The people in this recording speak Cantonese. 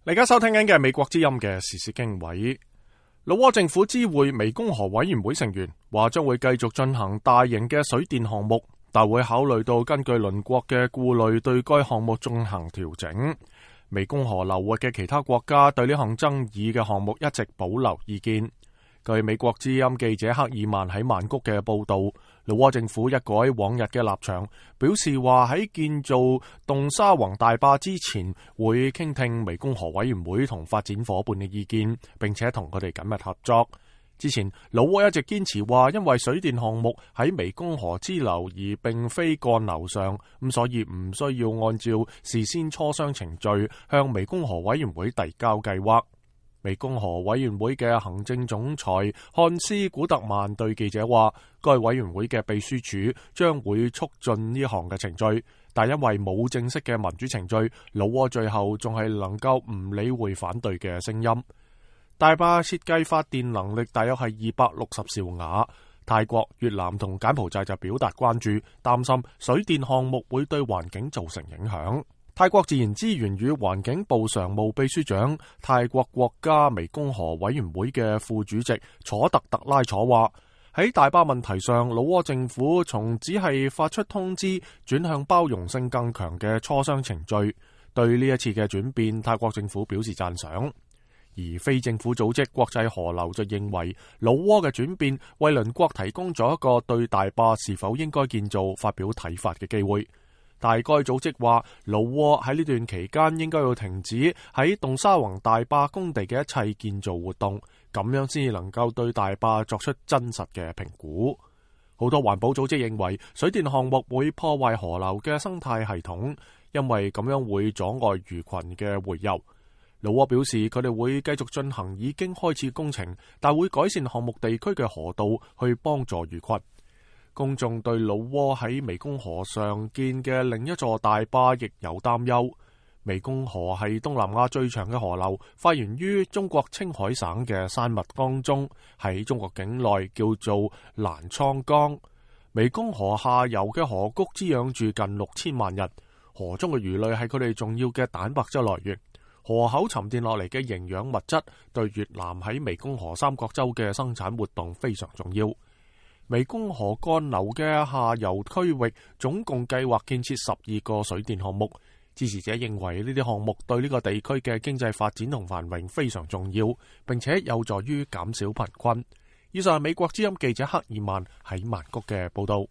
你而家收聽緊嘅係美國之音嘅時事經緯。老撾政府知會湄公河委員會成員，話將會繼續進行大型嘅水電項目，但會考慮到根據鄰國嘅顧慮，對該項目進行調整。湄公河流域嘅其他國家對呢項爭議嘅項目一直保留意見。據美國之音記者克爾曼喺曼谷嘅報道，老撾政府一改往日嘅立場，表示話喺建造洞沙宏大壩之前，會傾聽湄公河委員會同發展夥伴嘅意見，並且同佢哋緊密合作。之前老撾一直堅持話，因為水電項目喺湄公河支流而並非幹流上，咁所以唔需要按照事先磋商程序向湄公河委員會遞交計劃。湄公河委員會嘅行政總裁漢斯古特曼對記者話，該委員會嘅秘書處將會促進呢項嘅程序，但因為冇正式嘅民主程序，老撾最後仲係能夠唔理會反對嘅聲音。大壩設計發電能力大約係260兆瓦，泰國、越南同柬埔寨就表達關注，擔心水電項目會對環境造成影響。泰國自然資源與環境部常務秘書長、泰國國家湄公河委員會嘅副主席楚特特拉楚話，喺大壩問題上，老撾政府從只係發出通知轉向包容性更強嘅磋商程序，對呢一次嘅轉變，泰國政府表示讚賞。而非政府組織國際河流就認為，老撾嘅轉變為鄰國提供咗一個對大壩是否應該建造發表睇法嘅機會。但該組織話，老撾喺呢段期間應該要停止喺洞沙宏大壩工地嘅一切建造活動，咁樣先至能夠對大壩作出真實嘅評估。好多環保組織認為，水電項目會破壞河流嘅生態系統，因為咁樣會阻礙魚群嘅洄游。老撾表示，佢哋會繼續進行已經開始工程，但會改善項目地區嘅河道去幫助魚群。公眾對老撾喺湄公河上建嘅另一座大壩亦有擔憂。湄公河係東南亞最長嘅河流，發源於中國青海省嘅山密江中，喺中國境內叫做瀾滄江。湄公河下游嘅河谷滋養住近6000萬人，河中嘅魚類係佢哋重要嘅蛋白質來源。河口沉澱落嚟嘅營養物質對越南喺湄公河三角洲嘅生產活動非常重要。湄公河幹流嘅下游區域總共計劃建設12個水電項目，支持者認為呢啲項目對呢個地區嘅經濟發展同繁榮非常重要，並且有助於減少貧困。以上係美國之音記者克爾曼喺曼谷嘅報道。